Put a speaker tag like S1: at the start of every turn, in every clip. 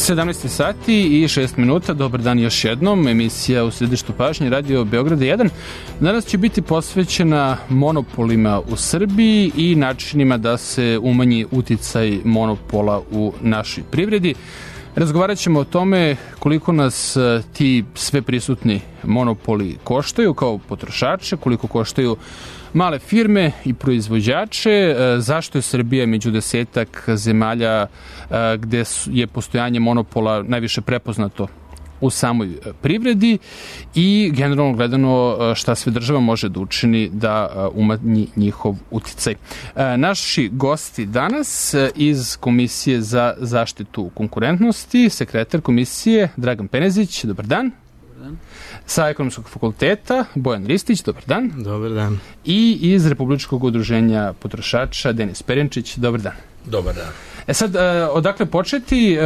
S1: 17 sati i 6 minuta, dobar dan još jednom, emisija u središtu pažnje, Radio Beograda 1. Danas će biti posvećena monopolima u Srbiji i načinima da se umanji uticaj monopola u našoj privredi. Razgovarat ćemo o tome koliko nas ti sve prisutni monopoli koštaju kao potrošače, koliko koštaju male firme i proizvođače, zašto je Srbija među 10 zemalja gde je postojanje monopola najviše prepoznato u samoj privredi i generalno gledano šta sve država može da učini da umanji njihov uticaj. Naši gosti danas iz Komisije za zaštitu konkurentnosti, sekretar komisije Dragan Penezić, dobar dan. Dobar dan. Sa Ekonomskog fakulteta Bojan Ristić, dobar dan.
S2: Dobar dan.
S1: I iz Republičkog udruženja potrošača Denis Perjenčić, dobar dan.
S3: Dobar dan.
S1: Sad, odakle početi?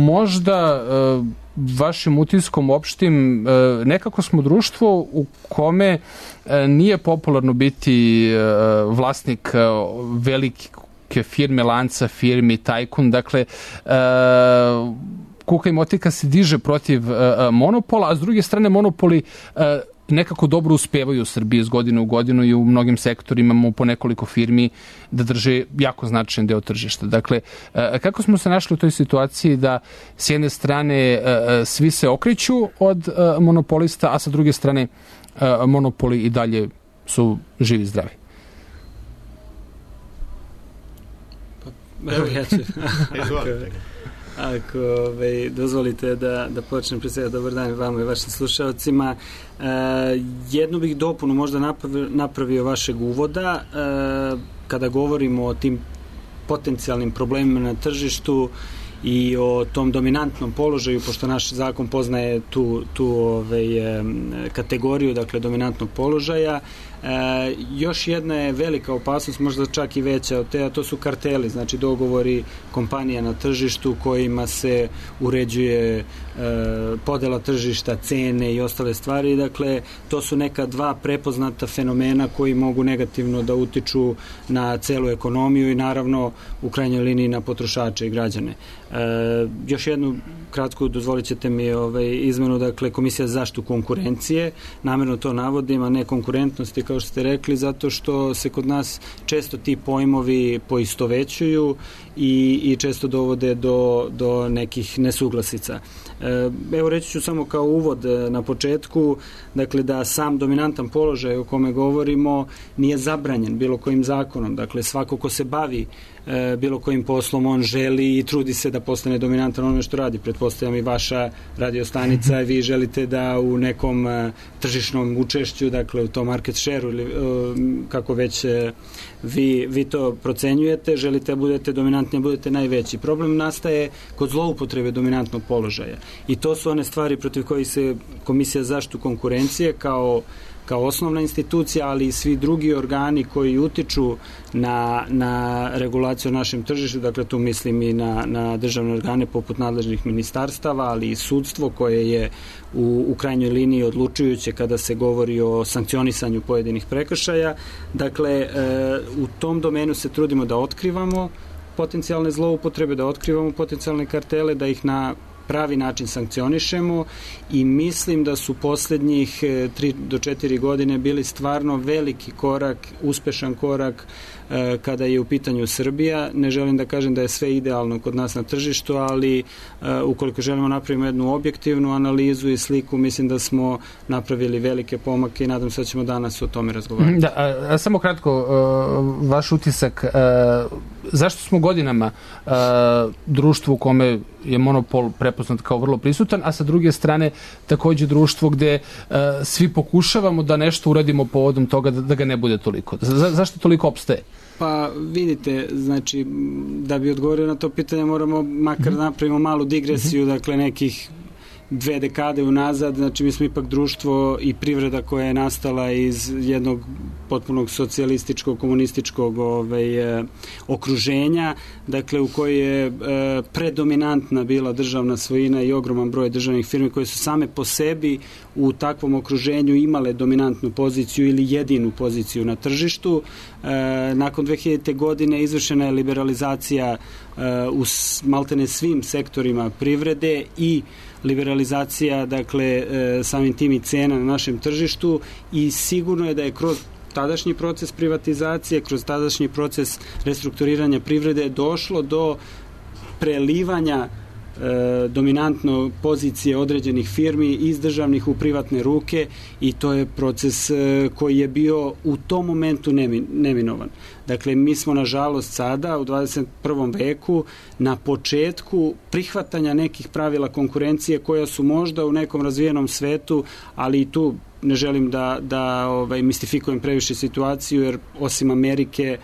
S1: Možda vašim utiskom opštim, nekako smo društvo u kome nije popularno biti vlasnik velike firme, lanca firmi, tajkun, dakle kuka i motika se diže protiv monopola, a s druge strane monopoli nekako dobro uspevaju u Srbiji iz godine u godinu i u mnogim sektorima imamo po nekoliko firmi da drže jako značajan deo tržišta. Dakle, kako smo se našli u toj situaciji da s jedne strane svi se okreću od monopolista, a sa druge strane monopoli i dalje su živi i zdravi?
S2: Evo ja ću. Ako dozvolite da počnem pre svega, dobar dan vama i vašim slušalcima. Jednu bih dopunu možda napravio vašeg uvoda kada govorimo o tim potencijalnim problemima na tržištu i o tom dominantnom položaju, pošto naš zakon poznaje tu kategoriju, dakle dominantnog položaja. Još jedna je velika opasnost, možda čak i veća od te, a to su karteli, znači dogovori kompanija na tržištu kojima se uređuje podela tržišta, cene i ostale stvari. Dakle, to su neka dva prepoznata fenomena koji mogu negativno da utiču na celu ekonomiju i naravno u krajnjoj liniji na potrošače i građane. Još jednu kratku, dozvolit ćete mi izmenu, dakle Komisija za zaštitu konkurencije, namjerno to navodim, a ne konkurentnosti kao što ste rekli, zato što se kod nas često ti pojmovi poistovećuju i često dovode do nekih nesuglasica. Evo reći ću samo kao uvod na početku, dakle da sam dominantan položaj o kome govorimo nije zabranjen bilo kojim zakonom, dakle svako ko se bavi bilo kojim poslom, on želi i trudi se da postane dominantan onome što radi. Pretpostavljam i vaša radiostanica, vi želite da u nekom tržišnom učešću, dakle u tom market share-u ili kako već vi to procenjujete, želite da budete dominantni, budete najveći. Problem nastaje kod zloupotrebe dominantnog položaja i to su one stvari protiv kojih se Komisija za zaštitu konkurencije kao osnovna institucija, ali i svi drugi organi koji utiču na regulaciju na našem tržištu, dakle tu mislim i na državne organe poput nadležnih ministarstava, ali i sudstvo koje je u krajnjoj liniji odlučujuće kada se govori o sankcionisanju pojedinih prekršaja. Dakle, u tom domenu se trudimo da otkrivamo potencijalne zloupotrebe, da otkrivamo potencijalne kartele, da ih na pravi način sankcionišemo i mislim da su poslednjih 3 do 4 godine bili stvarno veliki korak, uspešan korak kada je u pitanju Srbija. Ne želim da kažem da je sve idealno kod nas na tržištu, ali ukoliko želimo napravimo jednu objektivnu analizu i sliku, mislim da smo napravili velike pomake i nadam se da ćemo danas o tome razgovarati.
S1: Da, samo kratko, vaš utisak, zašto smo godinama društvo u kome je monopol prepoznat kao vrlo prisutan, a sa druge strane takođe društvo gde svi pokušavamo da nešto uradimo povodom toga da ga ne bude toliko? Zašto toliko opstaje?
S2: Pa vidite, znači da bi odgovorio na to pitanje moramo makar napravimo malu digresiju, dakle nekih 2 dekade unazad, znači mi smo ipak društvo i privreda koja je nastala iz jednog potpunog socijalističkog, komunističkog okruženja, dakle u kojoj je predominantna bila državna svojina i ogroman broj državnih firmi koje su same po sebi u takvom okruženju imale dominantnu poziciju ili jedinu poziciju na tržištu. Nakon 2000. godine izvršena je liberalizacija u maltene svim sektorima privrede i liberalizacija, dakle, samim tim i cena na našem tržištu, i sigurno je da je kroz tadašnji proces privatizacije, kroz tadašnji proces restrukturiranja privrede došlo do prelivanja dominantno pozicije određenih firmi iz državnih u privatne ruke, i to je proces koji je bio u tom momentu neminovan. Dakle, mi smo nažalost sada u 21. veku na početku prihvatanja nekih pravila konkurencije koja su možda u nekom razvijenom svetu, ali i tu ne želim da mistifikujem previše situaciju, jer osim Amerike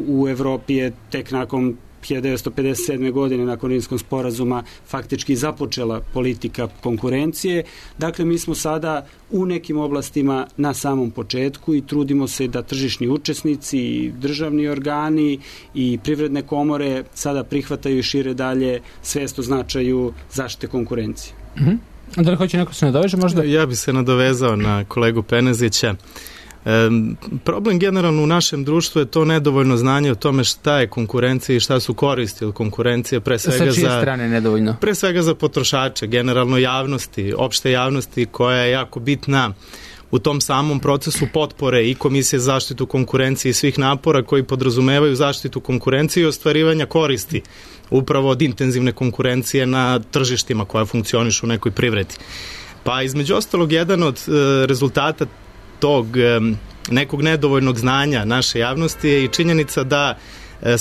S2: u Evropi je tek nakon 1957. godine, nakon Rimskog sporazuma, faktički započela politika konkurencije. Dakle, mi smo sada u nekim oblastima na samom početku i trudimo se da tržišni učesnici i državni organi i privredne komore sada prihvataju i šire dalje svest o značaju zaštite konkurencije.
S1: Da li hoće neko se nadoveže možda?
S3: Ja bi se nadovezao na kolegu Penezića. Problem generalno u našem društvu je to nedovoljno znanje o tome šta je konkurencija i šta su koristi od konkurencije, pre svega
S1: sa čije strane nedovoljno?
S3: Pre svega za potrošače, generalno javnosti, opšte javnosti, koja je jako bitna u tom samom procesu potpore i Komisije za zaštitu konkurencije i svih napora koji podrazumevaju zaštitu konkurencije i ostvarivanja koristi upravo od intenzivne konkurencije na tržištima koja funkcionišu u nekoj privredi. Pa između ostalog, jedan od rezultata tog nekog nedovoljnog znanja naše javnosti je i činjenica da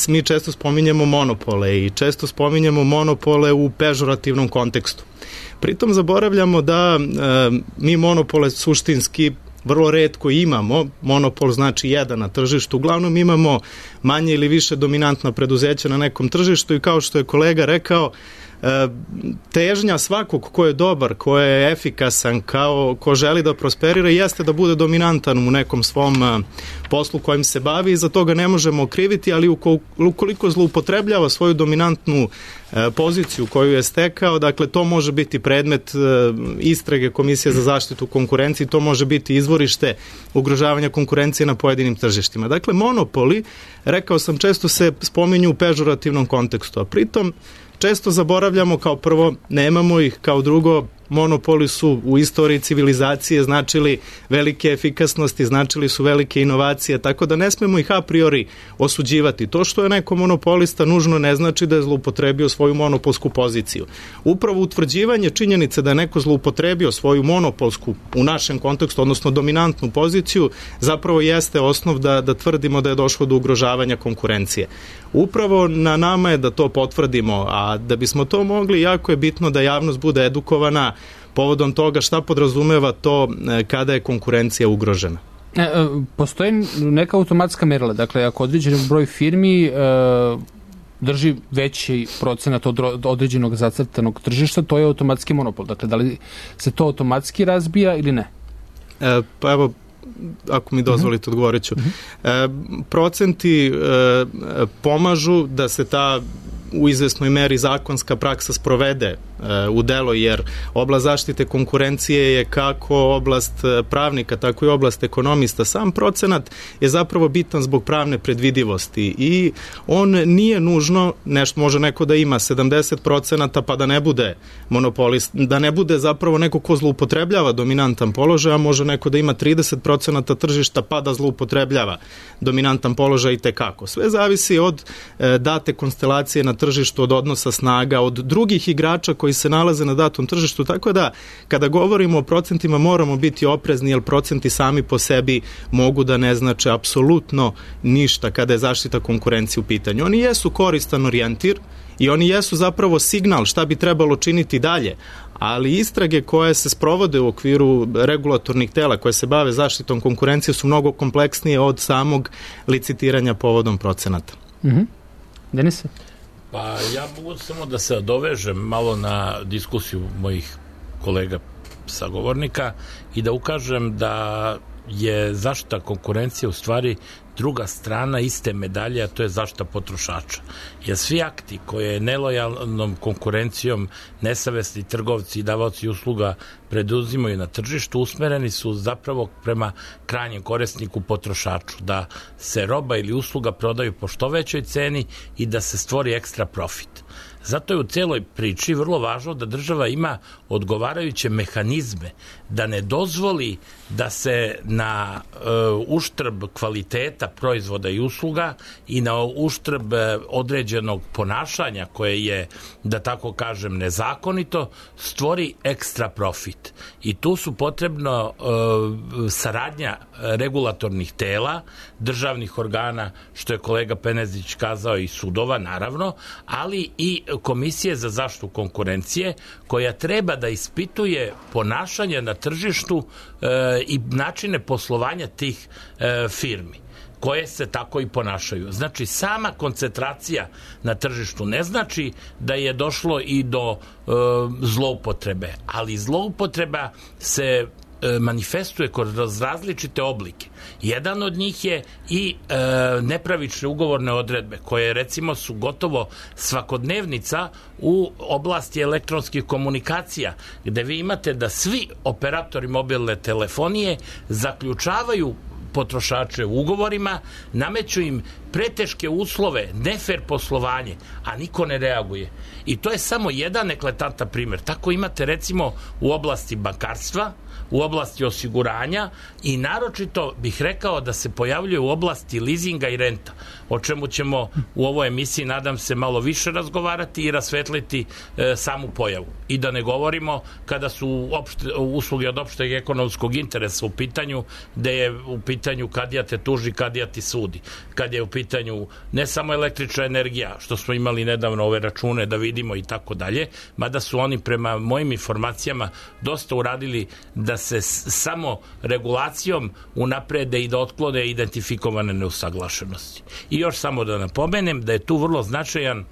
S3: mi često spominjemo monopole i često spominjemo monopole u pežorativnom kontekstu. Pritom zaboravljamo da mi monopole suštinski vrlo retko imamo. Monopol znači jedan na tržištu. Uglavnom imamo manje ili više dominantna preduzeća na nekom tržištu i kao što je kolega rekao, težnja svakog ko je dobar, ko je efikasan, ko želi da prosperira, jeste da bude dominantan u nekom svom poslu kojim se bavi i za toga ne možemo okriviti, ali ukoliko zloupotrebljava svoju dominantnu poziciju koju je stekao, dakle to može biti predmet istrage Komisije za zaštitu konkurencije, to može biti izvorište ugrožavanja konkurencije na pojedinim tržištima. Dakle, monopoli, rekao sam, često se spominju u pežorativnom kontekstu, a pritom često zaboravljamo, kao prvo, nemamo ih, kao drugo, monopoli su u istoriji civilizacije značili velike efikasnosti, značili su velike inovacije, tako da ne smemo ih a priori osuđivati. To što je neko monopolista nužno ne znači da je zloupotrebio svoju monopolsku poziciju. Upravo utvrđivanje činjenice da je neko zloupotrebio svoju monopolsku, u našem kontekstu, odnosno dominantnu poziciju, zapravo jeste osnov da tvrdimo da je došlo do ugrožavanja konkurencije. Upravo na nama je da to potvrdimo, a da bismo to mogli, jako je bitno da javnost bude edukovana povodom toga šta podrazumeva to kada je konkurencija ugrožena.
S1: Postoji neka automatska merila, dakle ako određen broj firmi drži veći procenat od određenog zacrtanog tržišta, to je automatski monopol. Dakle, da li se to automatski razbija ili ne?
S3: Pa evo, ako mi dozvolite, odgovorit ću. Procenti pomažu da se ta u izvesnoj meri zakonska praksa sprovede u delo, jer oblast zaštite konkurencije je kako oblast pravnika, tako i oblast ekonomista. Sam procenat je zapravo bitan zbog pravne predvidivosti i on nije nužno, nešto može neko da ima 70% pa da ne bude monopolist, da ne bude zapravo neko ko zloupotrebljava dominantan položaj, a može neko da ima 30% tržišta pa da zloupotrebljava dominantan položaj i tekako. Sve zavisi od date konstelacije na tržištu, od odnosa snaga, od drugih igrača koji se nalaze na datom tržištu, tako da kada govorimo o procentima moramo biti oprezni, jer procenti sami po sebi mogu da ne znače apsolutno ništa kada je zaštita konkurencije u pitanju. Oni jesu koristan orijentir i oni jesu zapravo signal šta bi trebalo činiti dalje, ali istrage koje se sprovode u okviru regulatornih tela koje se bave zaštitom konkurencije su mnogo kompleksnije od samog licitiranja povodom procenata.
S1: Denise?
S4: Pa ja mogu samo da se dovežem malo na diskusiju mojih kolega sagovornika i da ukažem da je zaštita konkurencije u stvari druga strana iste medalje, a to je zaštita potrošača. Jer svi akti koje nelojalnom konkurencijom nesavesni trgovci i davaoci usluga preduzimaju na tržištu usmereni su zapravo prema krajnjem korisniku potrošaču, da se roba ili usluga prodaju po što većoj ceni i da se stvori ekstra profit. Zato je u celoj priči vrlo važno da država ima odgovarajuće mehanizme, da ne dozvoli da se na uštrb kvaliteta proizvoda i usluga i na uštrb određenog ponašanja koje je, da tako kažem, nezakonito, stvori ekstra profit. I tu su potrebno saradnja regulatornih tela, državnih organa, što je kolega Penezić kazao, i sudova, naravno, ali i Komisije za zaštitu konkurencije, koja treba da ispituje ponašanje na tržištu i načine poslovanja tih firmi koje se tako i ponašaju. Znači, sama koncentracija na tržištu ne znači da je došlo i do zloupotrebe, ali zloupotreba se manifestuje kroz različite oblike. Jedan od njih je i nepravične ugovorne odredbe, koje recimo su gotovo svakodnevnica u oblasti elektronskih komunikacija, gde vi imate da svi operatori mobilne telefonije zaključavaju potrošače u ugovorima, nameću im preteške uslove, nefer poslovanje, a niko ne reaguje. I to je samo jedan eklatantan primer. Tako imate recimo u oblasti bankarstva, u oblasti osiguranja i naročito bih rekao da se pojavljuje u oblasti lizinga i renta, o čemu ćemo u ovoj emisiji, nadam se, malo više razgovarati i rasvetliti samu pojavu. I da ne govorimo kada su usluge od opšteg ekonomskog interesa u pitanju, gde je u pitanju kadija te tuži, kadija ti sudi. Kad je u pitanju ne samo električna energija, što smo imali nedavno ove račune da vidimo i tako dalje, mada su oni prema mojim informacijama dosta uradili da se samo regulacijom unaprede i da otklone identifikovane neusaglašenosti. I još samo da napomenem da je tu vrlo značajan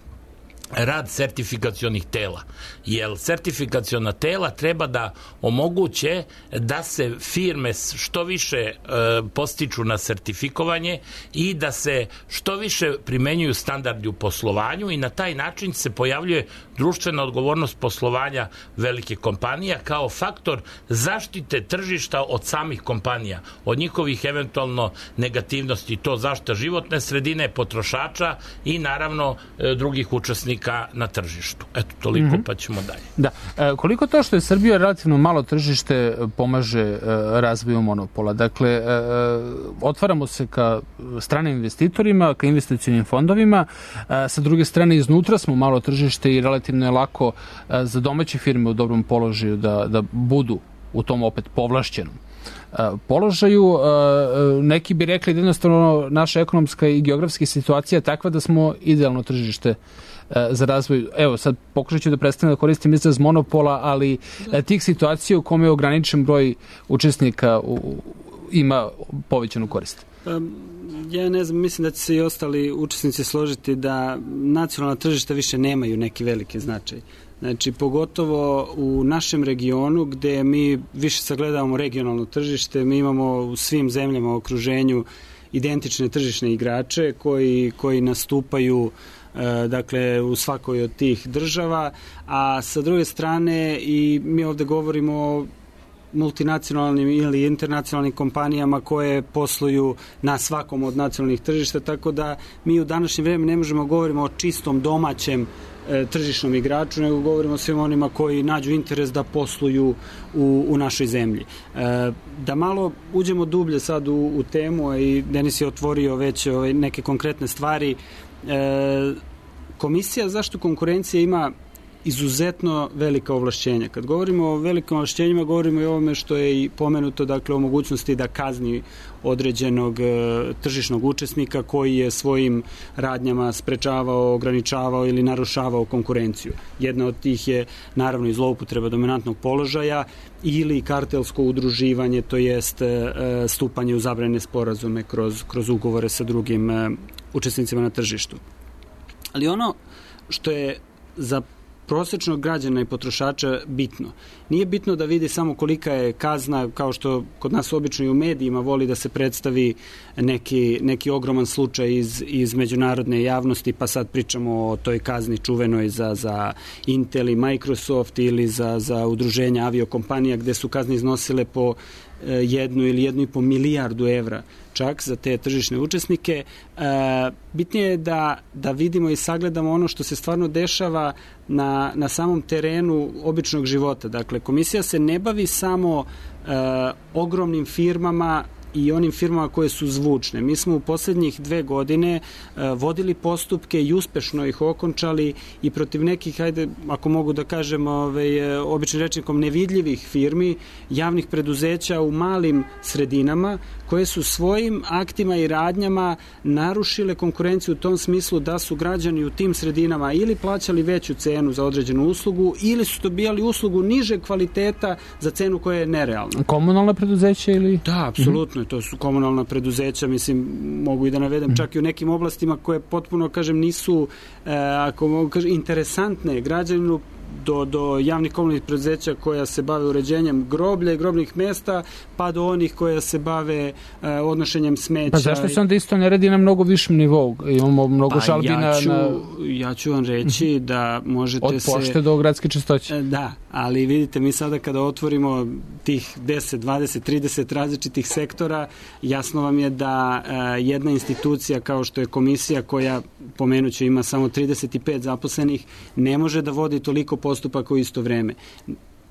S4: rad sertifikacionih tela, jer sertifikaciona tela treba da omoguće da se firme što više postiču na sertifikovanje i da se što više primenjuju standardi u poslovanju i na taj način se pojavljuje društvena odgovornost poslovanja velike kompanija kao faktor zaštite tržišta od samih kompanija, od njihovih eventualno negativnosti, to zaštita životne sredine, potrošača i naravno drugih učesnika na tržištu. Eto, toliko, pa ćemo dalje.
S1: Da. Koliko to što je Srbija relativno malo tržište pomaže razvoju monopola? Dakle, otvaramo se ka stranim investitorima, ka investicionim fondovima, sa druge strane iznutra smo malo tržište i relativno je lako za domaće firme u dobrom položaju da budu u tom opet povlašćenom položaju. Neki bi rekli da jednostavno naša ekonomska i geografska situacija je takva da smo idealno tržište za razvoj. Evo, sad pokušat ću da prestanem da koristim izraz monopola, ali tih situacija u kome je ograničen broj učesnika ima povećanu korist.
S2: Ja ne znam, mislim da će se i ostali učesnici složiti da nacionalna tržišta više nemaju neki veliki značaj. Znači, pogotovo u našem regionu gde mi više sagledavamo regionalno tržište, mi imamo u svim zemljama u okruženju identične tržišne igrače koji nastupaju dakle u svakoj od tih država, a sa druge strane i mi ovde govorimo o multinacionalnim ili internacionalnim kompanijama koje posluju na svakom od nacionalnih tržišta, tako da mi u današnje vreme ne možemo govorimo o čistom domaćem tržišnom igraču, nego govorimo o svim onima koji nađu interes da posluju u našoj zemlji. Da malo uđemo dublje sad u temu, i Denis je otvorio već neke konkretne stvari. Komisija za zaštitu konkurencije ima izuzetno velika ovlašćenja. Kad govorimo o velikim ovlašćenjima, govorimo i o ovome što je i pomenuto, dakle o mogućnosti da kazni određenog tržišnog učesnika koji je svojim radnjama sprečavao, ograničavao ili narušavao konkurenciju. Jedna od tih je naravno i zloupotreba dominantnog položaja ili kartelsko udruživanje, to jest stupanje u zabranjene sporazume kroz ugovore sa drugim učesnicima na tržištu. Ali ono što je za prosječnog građana i potrošača bitno. Nije bitno da vidi samo kolika je kazna, kao što kod nas obično i u medijima voli da se predstavi neki ogroman slučaj iz međunarodne javnosti, pa sad pričamo o toj kazni čuvenoj za Intel i Microsoft ili za udruženja aviokompanija gde su kazne iznosile po 1 ili 1,5 milijardu evra čak za te tržišne učesnike. Bitnije je da vidimo i sagledamo ono što se stvarno dešava na samom terenu običnog života. Dakle, komisija se ne bavi samo ogromnim firmama i onim firmama koje su zvučne. Mi smo u poslednjih 2 godine vodili postupke i uspešno ih okončali i protiv nekih, ajde, ako mogu da kažem običnim rečnikom, nevidljivih firmi, javnih preduzeća u malim sredinama, koje su svojim aktima i radnjama narušile konkurenciju u tom smislu da su građani u tim sredinama ili plaćali veću cenu za određenu uslugu ili su dobijali uslugu nižeg kvaliteta za cenu koja je nerealna.
S1: Komunalna preduzeća ili?
S2: Da, apsolutno. To su komunalna preduzeća, mislim, mogu i da navedem čak i u nekim oblastima koje potpuno, kažem, nisu, ako mogu kažem, interesantne građaninu, do javnih komunalnih preduzeća koja se bave uređenjem groblja i grobnih mesta, pa do onih koja se bave odnošenjem smeća.
S1: Pa zašto se onda isto ne radi na mnogo višem nivou? Imamo mnogo žalbi
S2: ja ću vam reći da možete
S1: od pošte do gradske čistoće.
S2: Da, ali vidite, mi sada kada otvorimo tih 10, 20, 30 različitih sektora, jasno vam je da jedna institucija kao što je komisija, koja, pomenuću, ima samo 35 zaposlenih, ne može da vodi toliko postupaka u isto vreme.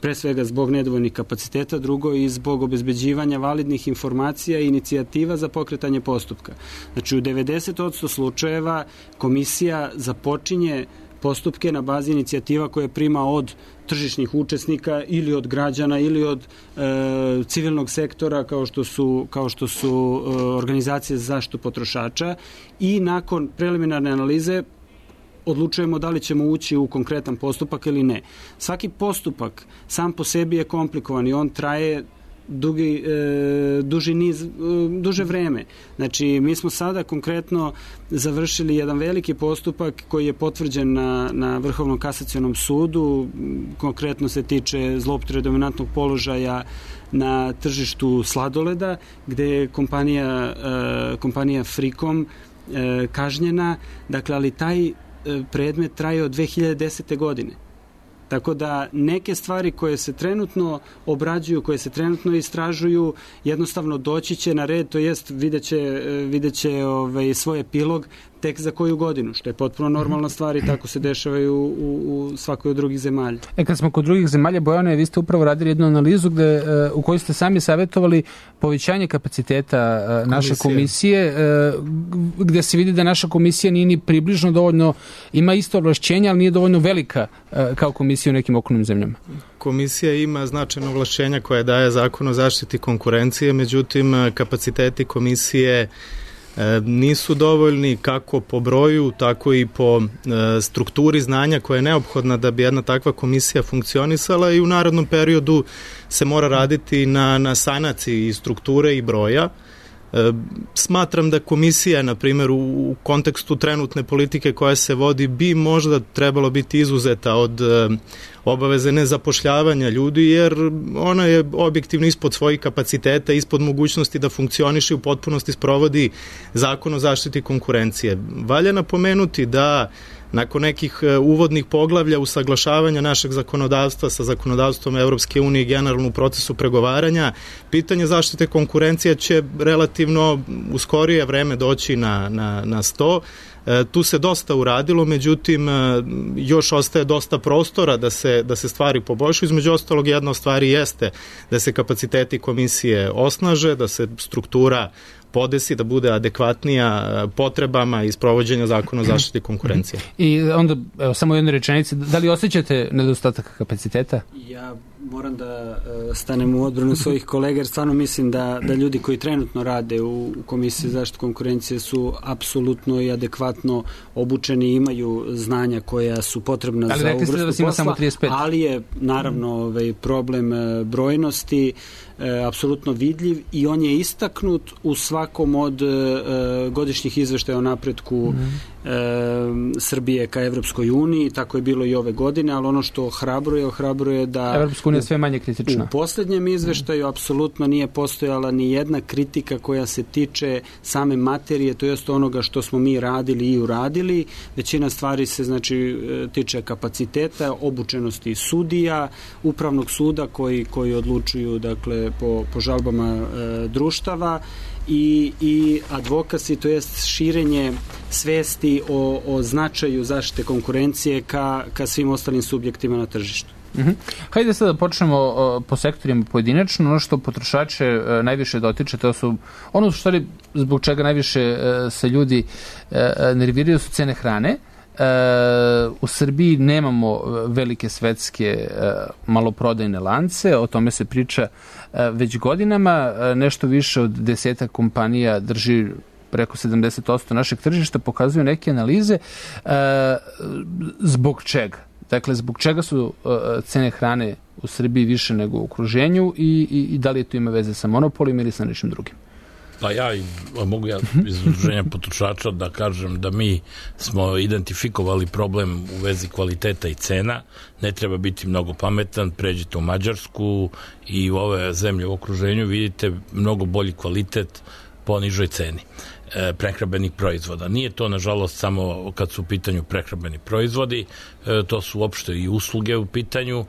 S2: Pre svega zbog nedovoljnih kapaciteta, drugo i zbog obezbeđivanja validnih informacija i inicijativa za pokretanje postupka. Znači, u 90% slučajeva komisija započinje postupke na bazi inicijativa koje prima od tržišnih učesnika ili od građana ili od civilnog sektora kao što su organizacije za zaštitu potrošača, i nakon preliminarne analize odlučujemo da li ćemo ući u konkretan postupak ili ne. Svaki postupak sam po sebi je komplikovan i on traje duže vreme. Znači, mi smo sada konkretno završili jedan veliki postupak koji je potvrđen na Vrhovnom kasacionom sudu, konkretno se tiče zloupotrebe dominantnog položaja na tržištu sladoleda, gde je kompanija Frikom kažnjena, dakle, ali taj predmet traje od 2010. godine. Tako da neke stvari koje se trenutno obrađuju, koje se trenutno istražuju, jednostavno doći će na red, to jest vidjet će svoj epilog tek za koju godinu, što je potpuno normalna stvar i tako se dešavaju u svakoj od drugih zemalja.
S1: Kad smo kod drugih zemalja, Bojane, vi ste upravo radili jednu analizu u kojoj ste sami savjetovali povećanje kapaciteta naše komisije, gde se vidi da naša komisija nije ni približno dovoljno, ima isto ovlašćenja, ali nije dovoljno velika kao komisija u nekim okolnim zemljama.
S3: Komisija ima značajno ovlašćenja koje daje Zakon o zaštiti konkurencije, međutim kapaciteti komisije nisu dovoljni kako po broju, tako i po strukturi znanja koja je neophodna da bi jedna takva komisija funkcionisala, i u narednom periodu se mora raditi na sanaciji strukture i broja. Smatram da komisija, na primjer, u kontekstu trenutne politike koja se vodi, bi možda trebalo biti izuzeta od obaveze nezapošljavanja ljudi, jer ona je objektivno ispod svojih kapaciteta, ispod mogućnosti da funkcioniše i u potpunosti sprovodi Zakon o zaštiti konkurencije. Valja napomenuti da nakon nekih uvodnih poglavlja usaglašavanja našeg zakonodavstva sa zakonodavstvom Evropske unije i generalno u procesu pregovaranja, pitanje zaštite konkurencije će relativno u skorije vreme doći na sto. Tu se dosta uradilo, međutim još ostaje dosta prostora da se stvari poboljšaju. Između ostalog, jedna od stvari jeste da se kapaciteti komisije osnaže, da se struktura podesi, da bude adekvatnija potrebama i sprovođenja Zakona o zaštiti konkurencije.
S1: I onda, samo jedne rečenice, da li osjećate nedostatak kapaciteta?
S2: Ja moram da stanem u odbranu svojih kolega, jer stvarno mislim da ljudi koji trenutno rade u Komisiji za zaštitu konkurencije su apsolutno i adekvatno obučeni i imaju znanja koja su potrebna za ovu vrstu posla, ali je naravno problem brojnosti apsolutno vidljiv i on je istaknut u svakom od godišnjih izveštaja o napretku Srbije ka Evropskoj uniji, tako je bilo i ove godine, ali ono što ohrabruje da
S1: Evropska unija je sve manje kritična.
S2: U poslednjem izveštaju apsolutno nije postojala ni jedna kritika koja se tiče same materije, to jest onoga što smo mi radili i uradili. Većina stvari se tiče kapaciteta, obučenosti sudija, upravnog suda koji odlučuju po žalbama društava i advokasi, to jest širenje svesti o značaju zaštite konkurencije ka svim ostalim subjektima na tržištu.
S1: Hajde sad da počnemo po sektorima pojedinačno. Ono što potrošače najviše dotiče, to su ono zbog čega najviše se ljudi nerviraju su cene hrane. U Srbiji nemamo velike svetske maloprodajne lance, o tome se priča već godinama. Nešto više od 10 kompanija drži preko 70% našeg tržišta, pokazuju neke analize. Zbog čega? Dakle, zbog čega su cene hrane u Srbiji više nego u okruženju i da li to ima veze sa monopolima ili sa nečim drugim?
S4: Pa mogu iz udruženja potrošača da kažem da mi smo identifikovali problem u vezi kvaliteta i cena. Ne treba biti mnogo pametan, pređite u Mađarsku i u ove zemlje u okruženju, vidite mnogo bolji kvalitet po nižoj ceni prehrambenih proizvoda. Nije to, nažalost, samo kad su u pitanju prehrambeni proizvodi, to su uopšte i usluge u pitanju,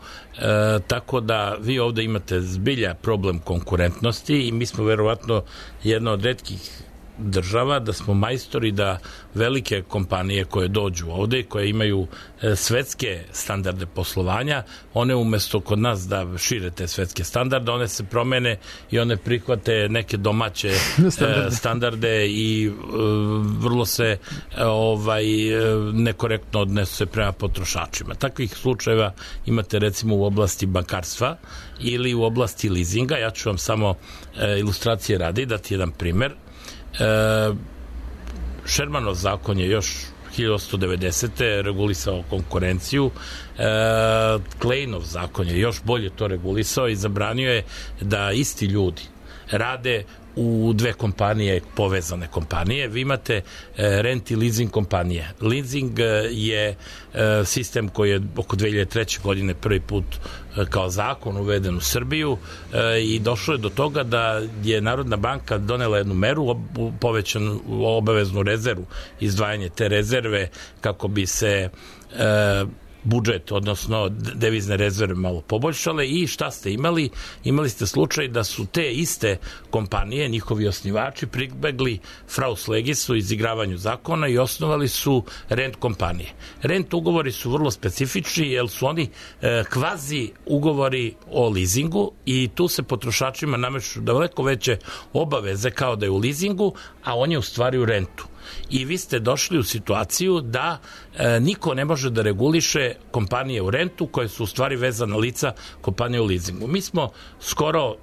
S4: tako da vi ovde imate zbilja problem konkurentnosti i mi smo verovatno jedna od retkih država da smo majstori da velike kompanije koje dođu ovde, koje imaju svetske standarde poslovanja, one umesto kod nas da šire te svetske standarde, one se promene i one prihvate neke domaće standarde i vrlo se nekorektno odnese prema potrošačima. Takvih slučajeva imate recimo u oblasti bankarstva ili u oblasti leasinga. Ja ću vam samo ilustracije radi dati jedan primer. Shermanov zakon je još 1890. regulisao konkurenciju. Kleinov zakon je još bolje to regulisao i zabranio je da isti ljudi rade u dve kompanije, povezane kompanije. Vi imate rent i leasing kompanije. Leasing je sistem koji je oko 2003. godine prvi put kao zakon uveden u Srbiju i došlo je do toga da je Narodna banka donela jednu meru, povećanu obaveznu rezervu, izdvajanje te rezerve kako bi se budžet, odnosno devizne rezerve malo poboljšale i šta ste imali? Imali ste slučaj da su te iste kompanije, njihovi osnivači, pribegli fraus legisu, izigravanju zakona i osnovali su rent kompanije. Rent ugovori su vrlo specifični jer su oni kvazi ugovori o leasingu i tu se potrošačima nameću daleko veće obaveze kao da je u leasingu, a on je u stvari u rentu. I vi ste došli u situaciju da niko ne može da reguliše kompanije u rentu koje su u stvari vezana lica kompanije u leasingu. Mi smo skoro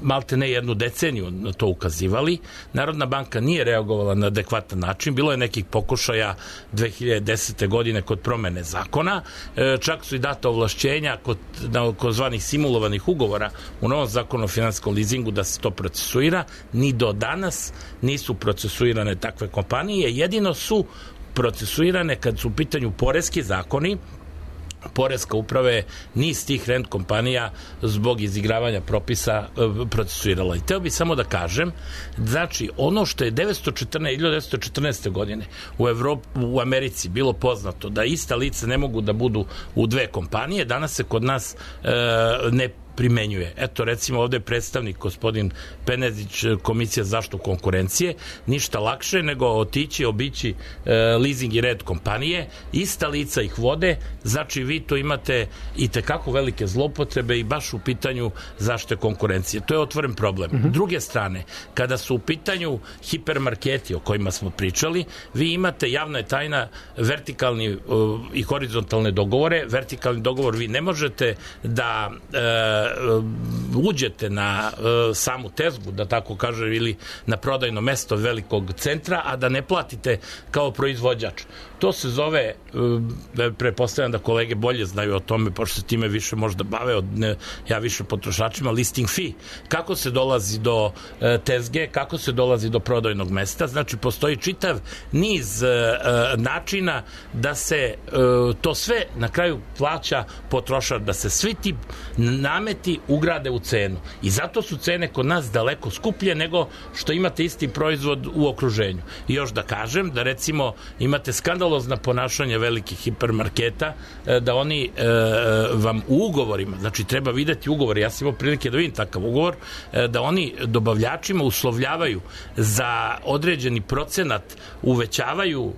S4: malte ne jednu deceniju na to ukazivali. Narodna banka nije reagovala na adekvatan način. Bilo je nekih pokušaja 2010. godine kod promene zakona. Čak su i data ovlašćenja kod zvanih simulovanih ugovora u novom zakonu o finansijskom leasingu da se to procesuira. Ni do danas nisu procesuirane takve kompanije. Jedino su procesuirane kad su u pitanju poreski zakoni. Poreska uprava je niz tih rent kompanija zbog izigravanja propisa procesuirala. I teo bih samo da kažem, znači ono što je 1914. godine u Americi bilo poznato da ista lica ne mogu da budu u dve kompanije, danas se kod nas ne primenjuje. Eto, recimo, ovde je predstavnik gospodin Penezić, Komisija za zaštitu konkurencije, ništa lakše nego obići leasing i rent kompanije, ista lica ih vode, znači vi to imate i tekako velike zloupotrebe i baš u pitanju zaštite konkurencije. To je otvoren problem. Druge strane, kada su u pitanju hipermarketi o kojima smo pričali, vi imate, javna je tajna, vertikalni i horizontalne dogovore. Vertikalni dogovor vi ne možete da uđete na samu tezgu, da tako kaže, ili na prodajno mesto velikog centra, a da ne platite kao proizvođač. To se zove, pretpostavljam da kolege bolje znaju o tome, pošto se time više možda bave, ja više potrošačima, listing fee. Kako se dolazi do tezge, kako se dolazi do prodajnog mesta, znači postoji čitav niz načina da se to sve na kraju plaća potrošač, da se svi ti nameti ugrade u cenu. I zato su cene kod nas daleko skuplje nego što imate isti proizvod u okruženju. I još da kažem da recimo imate skandalozna ponašanja velikih hipermarketa, da oni vam u ugovorima, znači treba videti ugovor, ja sam imao prilike da vidim takav ugovor, da oni dobavljačima uslovljavaju za određeni procenat, uvećavaju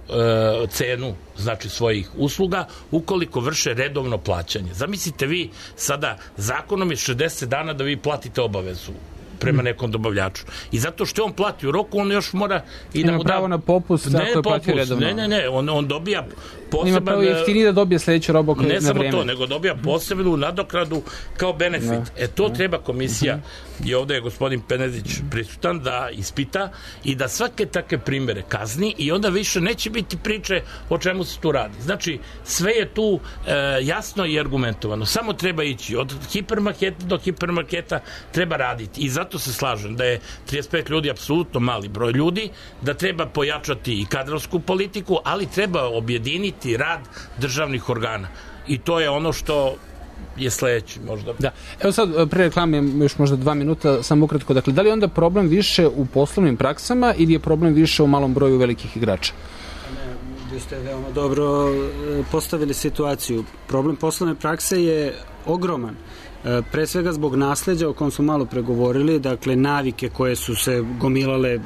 S4: cenu, znači svojih usluga, ukoliko vrše redovno plaćanje. Zamislite vi sada, zakonom je 60 dana da vi platite obavezu prema nekom dobavljaču. I zato što on plati u roku, on još mora i da mu da...
S1: pravo na popust, ako je platio redovno.
S4: Ne, on dobija poseban...
S1: Ima pravo jeftiniji da dobije sledeću robu na vreme.
S4: Ne samo to, nego dobija posebnu nadokradu kao benefit. To treba komisija, i ovde je gospodin Penezić prisutan, da ispita i da svake takve primere kazni i onda više neće biti priče o čemu se tu radi. Znači, sve je tu jasno i argumentovano. Samo treba ići od hipermarketa do hipermarketa, treba raditi. I zato se slažem da je 35 ljudi apsolutno mali broj ljudi, da treba pojačati i kadrovsku politiku, ali treba objediniti rad državnih organa. I to je ono što je sledeći možda. Da.
S1: Evo sad, pre reklame, još možda 2 minuta, samo ukratko. Dakle, da li je onda problem više u poslovnim praksama ili je problem više u malom broju velikih igrača?
S2: Vi ste veoma dobro postavili situaciju. Problem poslovne prakse je ogroman. Pre svega zbog nasleđa o kom smo malo pregovorili, dakle navike koje su se gomilale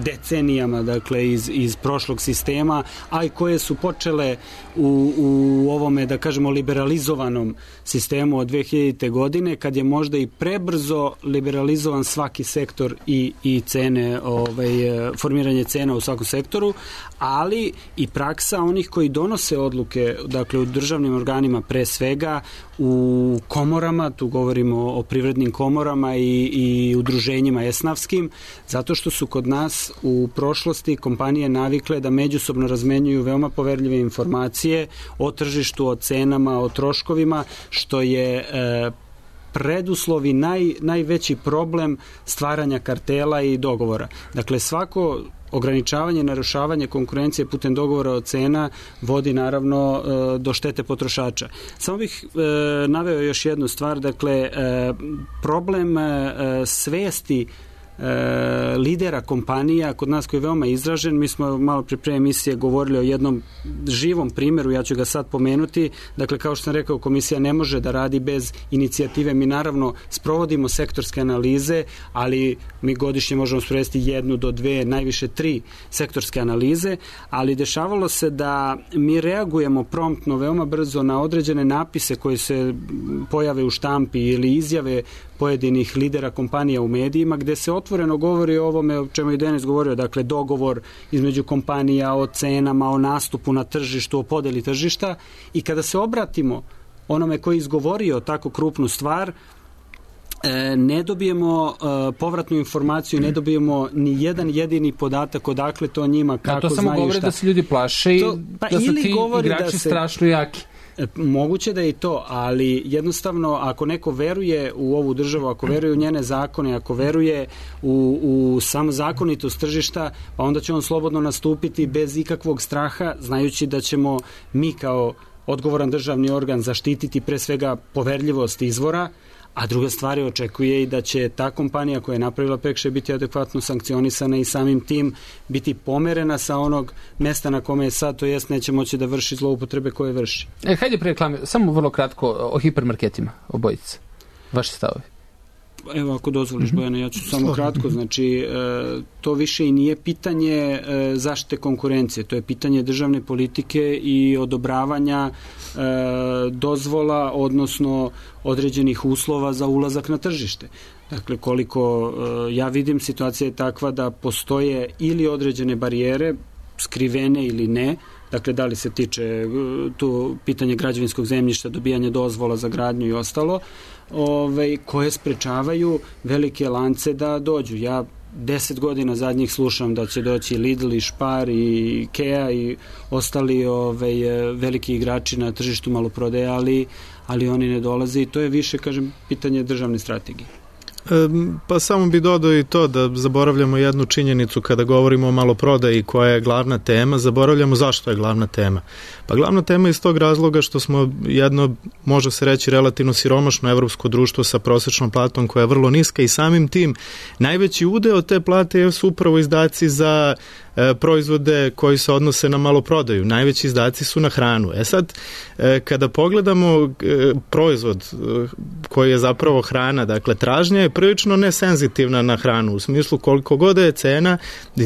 S2: decenijama, dakle iz prošlog sistema, a i koje su počele u ovome, da kažemo, liberalizovanom sistemu od 2000. godine, kad je možda i prebrzo liberalizovan svaki sektor i cene, formiranje cena u svakom sektoru, ali i praksa onih koji donose odluke, dakle u državnim organima pre svega, u komorama, tu govorimo o privrednim komorama i udruženjima esnafskim, zato što su kod nas u prošlosti kompanije navikle da međusobno razmenjuju veoma poverljive informacije o tržištu, o cenama, o troškovima, što je preduslov i najveći problem stvaranja kartela i dogovora. Dakle, svako ograničavanje i narušavanje konkurencije putem dogovora o cena vodi naravno do štete potrošača. Samo bih naveo još jednu stvar, dakle, problem svesti lidera kompanija kod nas koji je veoma izražen. Mi smo malo pre emisije govorili o jednom živom primjeru, ja ću ga sad pomenuti. Dakle, kao što sam rekao, komisija ne može da radi bez inicijative. Mi naravno sprovodimo sektorske analize, ali mi godišnje možemo sprovesti 1 do 2, najviše 3 sektorske analize, ali dešavalo se da mi reagujemo promptno, veoma brzo na određene napise koje se pojave u štampi ili izjave pojedinih lidera kompanija u medijima, gde se otvoreno govori o ovome o čemu je Denis govorio, dakle dogovor između kompanija o cenama, o nastupu na tržištu, o podeli tržišta, i kada se obratimo onome koji je izgovorio tako krupnu stvar, ne dobijemo povratnu informaciju, ne dobijemo ni jedan jedini podatak odakle to njima, kako znaju šta.
S1: To samo govori da se ljudi plaše i da su ti igrači strašno jaki.
S2: Moguće da je i to, ali jednostavno ako neko veruje u ovu državu, ako veruje u njene zakone, ako veruje u samu zakonitost tržišta, pa onda će on slobodno nastupiti bez ikakvog straha, znajući da ćemo mi kao odgovoran državni organ zaštititi pre svega poverljivost izvora, a druga stvar je, očekuje i da će ta kompanija koja je napravila prekršaj biti adekvatno sankcionisana i samim tim biti pomerena sa onog mesta na kome je sad, to jest neće moći da vrši zloupotrebe koje vrši.
S1: Hajde pre reklame, samo vrlo kratko o hipermarketima, obojice. Vaši stavovi.
S2: Evo, ako dozvoliš, Bojana, ja ću samo kratko. Znači, to više i nije pitanje zaštite konkurencije, to je pitanje državne politike i odobravanja dozvola, odnosno određenih uslova za ulazak na tržište. Dakle, koliko ja vidim, situacija je takva da postoje ili određene barijere, skrivene ili ne, dakle da li se tiče tu pitanje građevinskog zemljišta, dobijanja dozvola za gradnju i ostalo, koje sprečavaju velike lance da dođu. Ja 10 godina zadnjih slušam da će doći Lidl i Spar i Ikea i ostali veliki igrači na tržištu maloprodaje, ali oni ne dolaze i to je više, kažem, pitanje državne strategije.
S3: Pa samo bi dodao i to da zaboravljamo jednu činjenicu kada govorimo o maloprodaji koja je glavna tema, zaboravljamo zašto je glavna tema. Pa glavna tema je iz tog razloga što smo jedno, može se reći, relativno siromašno evropsko društvo sa prosečnom platom koja je vrlo niska i samim tim najveći udeo te plate su upravo izdaci za proizvode koji se odnose na maloprodaju. Najveći izdaci su na hranu. Sad, kada pogledamo proizvod koji je zapravo hrana, dakle tražnja je prilično nesenzitivna na hranu, u smislu koliko god je cena,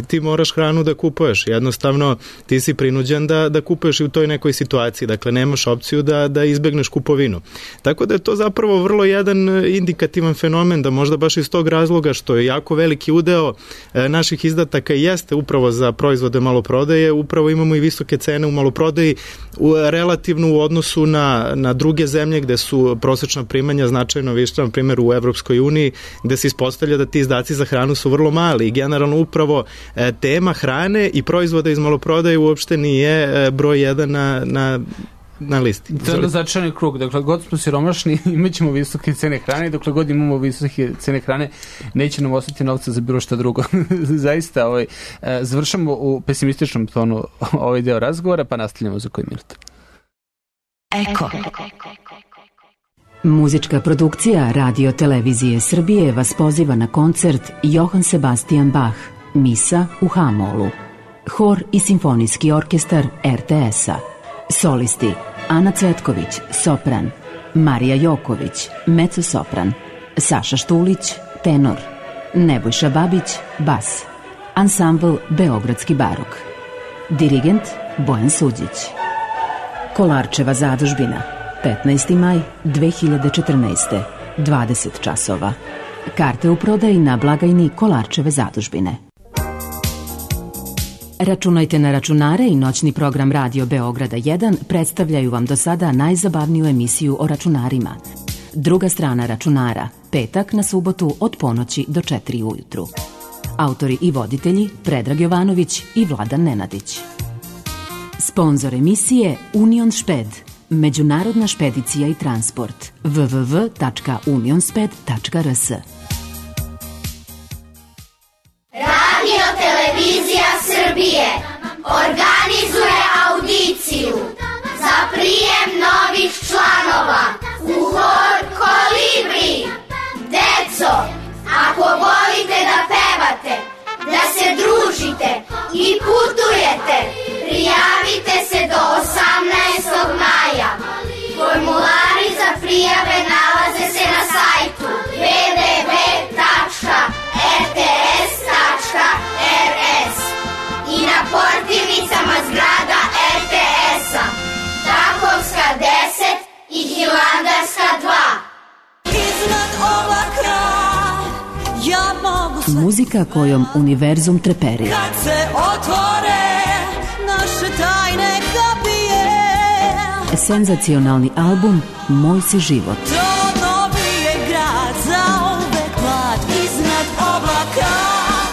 S3: ti moraš hranu da kupuješ. Jednostavno, ti si prinuđen da kupuješ i u toj nekoj situaciji. Dakle, nemaš opciju da izbegneš kupovinu. Tako da je to zapravo vrlo jedan indikativan fenomen, da možda baš iz tog razloga što je jako veliki udeo naših izdataka jeste upravo za proizvode maloprodaje, upravo imamo i visoke cene u maloprodaji relativno u odnosu na druge zemlje gde su prosečna primanja značajno viša, na primjer u Evropskoj uniji, gde se ispostavlja da ti izdaci za hranu su vrlo mali i generalno upravo tema hrane i proizvoda iz maloprodaje uopšte nije broj 1 na listi.
S1: To je začarani krug. Dakle, god smo siromašni, imat ćemo visoke cene hrane i dokle god imamo visoke cene hrane, neće nam ostati novca za bilo šta drugo. Zaista, završamo u pesimističnom tonu ovaj deo razgovora, pa nastavljamo za koji minut.
S5: Eko. Muzička produkcija Radio Televizije Srbije vas poziva na koncert Johann Sebastian Bach, Misa u H-molu. Hor i simfonijski orkestar RTS-a. Solisti Ana Cvetković, sopran, Marija Joković, mezzo-sopran, Saša Štulić, tenor, Nebojša Babić, bas, ansambl Beogradski barok, dirigent Bojan Suđić. Kolarčeva zadužbina, 15. maj 2014. 20 časova. Karte u prodaji na blagajni Kolarčeve zadužbine. Računajte na računare i noćni program Radio Beograda 1 predstavljaju vam do sada najzabavniju emisiju o računarima. Druga strana računara, petak na subotu od ponoći do 4 ujutru. Autori i voditelji Predrag Jovanović i Vladan Nenadić. Sponzor emisije Union Šped, međunarodna špedicija i transport, www.unionsped.rs.
S6: Radio Televizija Srbije organizuje audiciju za prijem novih članova u hor Kolibri. Deco, ako volite da pevate, da se družite i putujete, prijavite se do 18. maja. Formulari za prijave nalaze se na sajtu www.rts.rs i na portirnicama zgrada RTS-a, Takovska 10 i Hilandarska 2.
S7: Iznad oblaka ja mogu sve.
S5: Muzika kojom univerzum treperi.
S7: Kad se otvore naše tajne kapije.
S5: Senzacionalni album Moj si život.
S7: To novi je grad za uvek mlad iznad oblaka.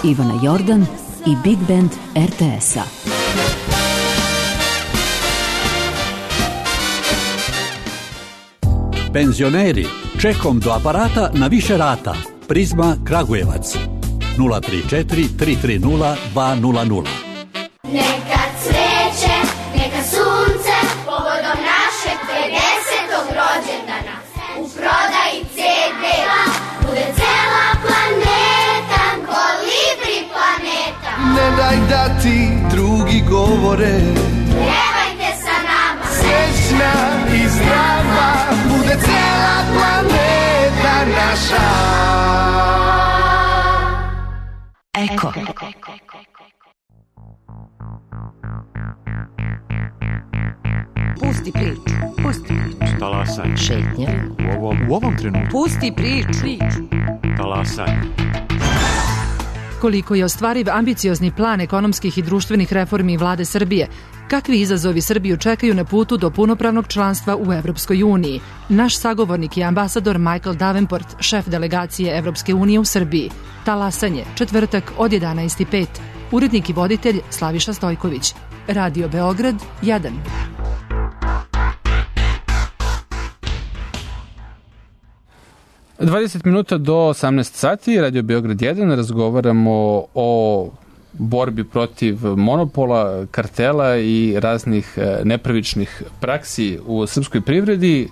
S5: Ivana Jordan i Big Band RTS-a.
S8: Penzioneri, čekom do aparata na više rata. Prizma Kragujevac 034 330 200.
S6: Neka cveće, neka sunce, povodom našeg 50. rođendana. U prodaji CD-a bude cela planeta, Kolibri planeta.
S9: Ne daj da ti drugi govore,
S6: Pevajte sa nama,
S9: srećna i zdrava, bude cela planeta naša.
S5: Eko.
S10: Pusti priču, pusti priču.
S11: Talasaj.
S10: Šetnja.
S11: U ovom trenutku.
S10: Pusti priču.
S11: Talasaj. Koliko je ostvariv ambiciozni plan ekonomskih i društvenih reformi vlade Srbije? Kakvi izazovi Srbiju čekaju na putu do punopravnog članstva u Evropskoj uniji? Naš sagovornik je ambasador Michael Davenport, šef delegacije Evropske unije u Srbiji. Talasanje, četvrtak od 11:05. Urednik i voditelj Slaviša Stojković. Radio Beograd 1.
S1: Dvadeset minuta do 18 sati, Radio Beograd 1, razgovaramo o borbi protiv monopola, kartela i raznih nepravičnih praksi u srpskoj privredi.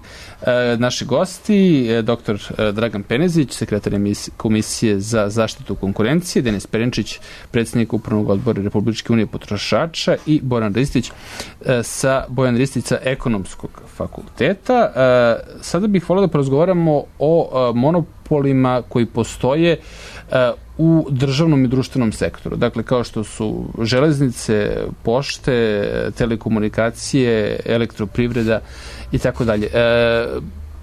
S1: Naši gosti, dr. Dragan Penezić, sekretar Komisije za zaštitu konkurencije, Denis Perenčić, predsjednik Upravnog odbora Republičke unije potrošača i Bojan Ristić sa Ekonomskog fakulteta. Sada bih volio da porazgovaramo o monopolima koji postoje u državnom i društvenom sektoru. Dakle, kao što su železnice, pošte, telekomunikacije, elektroprivreda i tako dalje.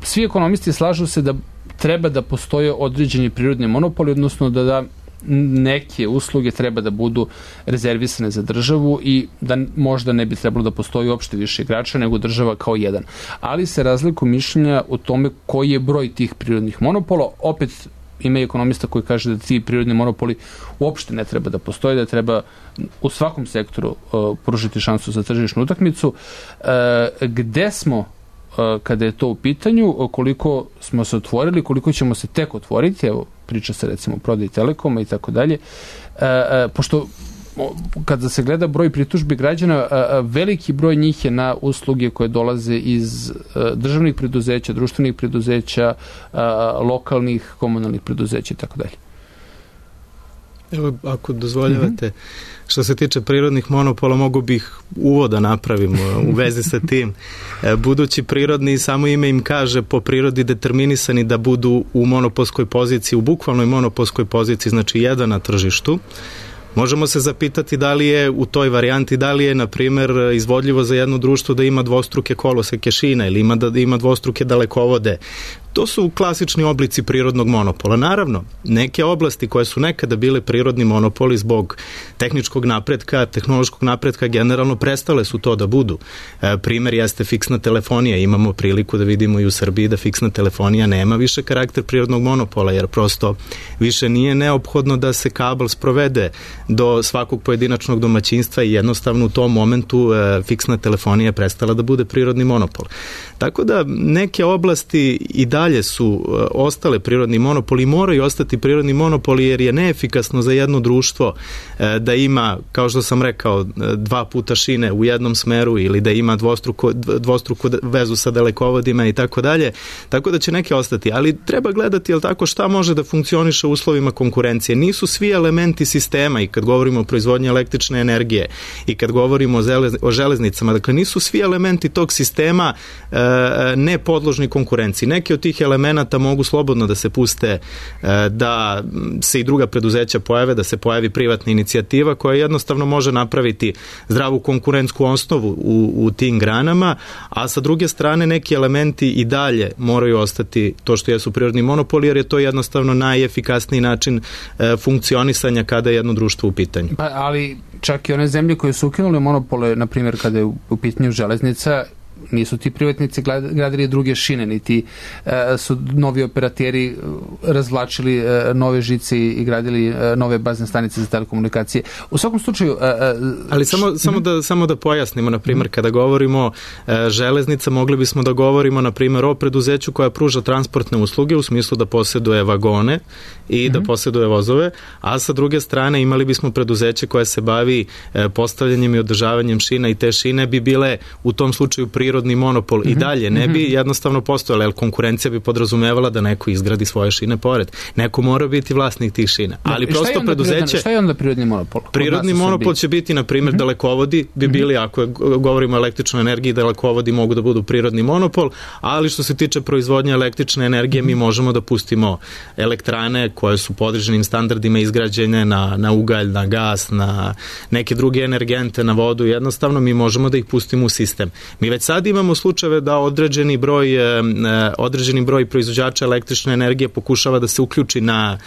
S1: Svi ekonomisti slažu se da treba da postoje određeni prirodni monopoli, odnosno da neke usluge treba da budu rezervisane za državu i da možda ne bi trebalo da postoji uopšte više igrača nego država kao jedan. Ali se razlikuju mišljenja o tome koji je broj tih prirodnih monopola. Opet ima ekonomista koji kaže da ti prirodni monopoli uopšte ne treba da postoje, da treba u svakom sektoru pružiti šansu za tržišnu utakmicu. Gde smo kada je to u pitanju, koliko smo se otvorili, koliko ćemo se tek otvoriti, evo priča se recimo o prodaji Telekoma i tako dalje, pošto kada se gleda broj pritužbi građana, veliki broj njih je na usluge koje dolaze iz državnih preduzeća, društvenih preduzeća, lokalnih, komunalnih preduzeća i tako dalje.
S3: Evo, ako dozvoljavate, što se tiče prirodnih monopola, mogu bih uvoda napravim u vezi sa tim. Budući prirodni, samo ime im kaže, po prirodi determinisani da budu u monopolskoj poziciji, u bukvalnoj monopolskoj poziciji, znači jedan na tržištu. Možemo se zapitati da li je u toj varijanti, da li je, na primjer, izvodljivo za jedno društvo da ima dvostruke koloseke šina ili da ima dvostruke dalekovode. To su klasični oblici prirodnog monopola. Naravno, neke oblasti koje su nekada bile prirodni monopoli zbog tehničkog napretka, tehnološkog napretka, generalno prestale su to da budu. Primer jeste fiksna telefonija. Imamo priliku da vidimo i u Srbiji da fiksna telefonija nema više karakter prirodnog monopola, jer prosto više nije neophodno da se kabel sprovede do svakog pojedinačnog domaćinstva i jednostavno u tom momentu fiksna telefonija prestala da bude prirodni monopol. Tako da neke oblasti i dalje su ostale prirodni monopoli, moraju ostati prirodni monopoli jer je neefikasno za jedno društvo da ima, kao što sam rekao, 2 puta šine u jednom smeru ili da ima dvostruku vezu sa dalekovodima i tako dalje. Tako da će neke ostati, ali treba gledati, jel tako, šta može da funkcioniše u uslovima konkurencije. Nisu svi elementi sistema, i kad govorimo o proizvodnji električne energije i kad govorimo o železnicama, dakle nisu svi elementi tog sistema ne podložni konkurenciji. Neki od tih elemenata mogu slobodno da se puste, da se i druga preduzeća pojave, da se pojavi privatna inicijativa koja jednostavno može napraviti zdravu konkurentsku osnovu u tim granama, a sa druge strane neki elementi i dalje moraju ostati to što jesu prirodni monopoli, jer je to jednostavno najefikasniji način funkcionisanja kada je jedno društvo u pitanju.
S1: Pa, ali čak i one zemlje koje su ukinule monopole, na primjer kada je u pitanju železnica, nisu ti privatnici gradili druge šine, niti su novi operateri razvlačili nove žice i gradili nove bazne stanice za telekomunikacije. U svakom slučaju...
S3: Ali samo da pojasnimo, na primjer, kada govorimo železnica, mogli bismo da govorimo, na primjer, o preduzeću koja pruža transportne usluge u smislu da posjeduje vagone i da posjeduje vozove, a sa druge strane imali bismo preduzeće koje se bavi postavljanjem i održavanjem šina i te šine bi bile u tom slučaju prirodni monopol i dalje ne bi jednostavno postojala, jer konkurencija bi podrazumevala da neko izgradi svoje šine pored. Neko mora biti vlasnik tih šina. Ali prosto preduzeće...
S1: Šta je onda prirodni monopol?
S3: Prirodni monopol će biti, na primjer, dalekovodi bi bili, ako govorimo o električnoj energiji, dalekovodi mogu da budu prirodni monopol, ali što se tiče proizvodnje električne energije, mi možemo da pustimo elektrane koje su po određenim standardima izgrađene na ugalj, na gas, na neke druge energente, na vodu, jednostavno mi možemo da ih pustimo u sistem. Mi već sad Sad imamo slučajeve da određeni broj proizvođača električne energije pokušava da se uključi na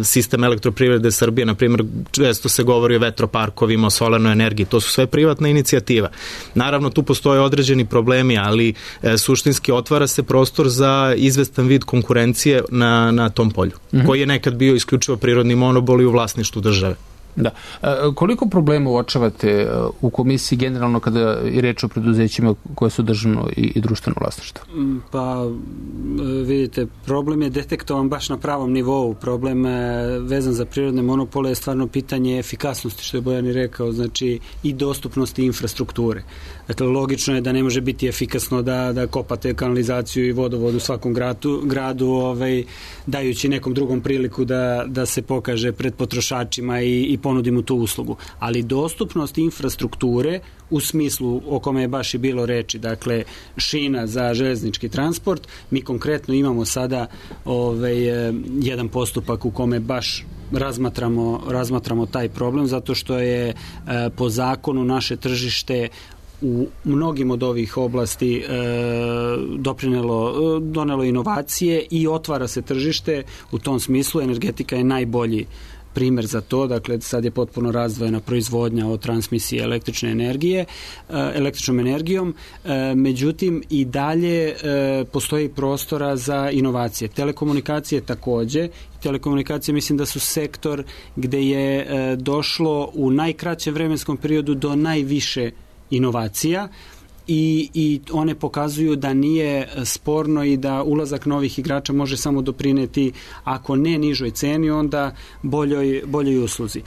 S3: sistem elektroprivrede Srbije, na primjer često se govori o vetroparkovima, o solarnoj energiji, to su sve privatna inicijativa. Naravno tu postoje određeni problemi, ali suštinski otvara se prostor za izvestan vid konkurencije na tom polju, koji je nekad bio isključivo prirodni monopol i u vlasništvu države.
S1: Da. Koliko problema uočavate u komisiji generalno kada je reč o preduzećima koje su državno i društveno vlasništvo?
S2: Pa vidite, problem je detektovan baš na pravom nivou. Problem vezan za prirodne monopole je stvarno pitanje efikasnosti, što je Bojan i rekao, znači i dostupnosti infrastrukture. Dakle, logično je da ne može biti efikasno da kopate kanalizaciju i vodovod u svakom gradu dajući nekom drugom priliku da se pokaže pred potrošačima i ponudi mu tu uslugu. Ali dostupnost infrastrukture u smislu o kome je baš i bilo reči, dakle šina za železnički transport, mi konkretno imamo sada jedan postupak u kome baš razmatramo taj problem, zato što je po zakonu naše tržište u mnogim od ovih oblasti donelo inovacije i otvara se tržište. U tom smislu energetika je najbolji primer za to, dakle sad je potpuno razdvojena proizvodnja od transmisije električnom energijom, međutim i dalje postoji prostora za inovacije. Telekomunikacije takođe. Telekomunikacije mislim da su sektor gde je došlo u najkraćem vremenskom periodu do najviše inovacija i one pokazuju da nije sporno i da ulazak novih igrača može samo doprineti, ako ne nižoj ceni, onda boljoj usluzi.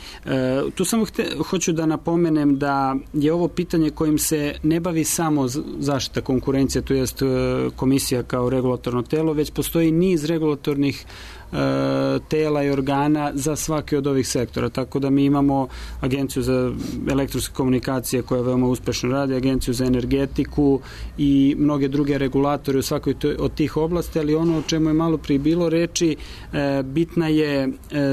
S2: Tu samo hoću da napomenem da je ovo pitanje kojim se ne bavi samo zaštita konkurencije, to jest komisija kao regulatorno telo, već postoji niz regulatornih tela i organa za svaki od ovih sektora. Tako da mi imamo Agenciju za elektronske komunikacije koja veoma uspešno radi, Agenciju za energetiku i mnoge druge regulatore u svakoj od tih oblasti, ali ono o čemu je malo prije bilo reči, bitna je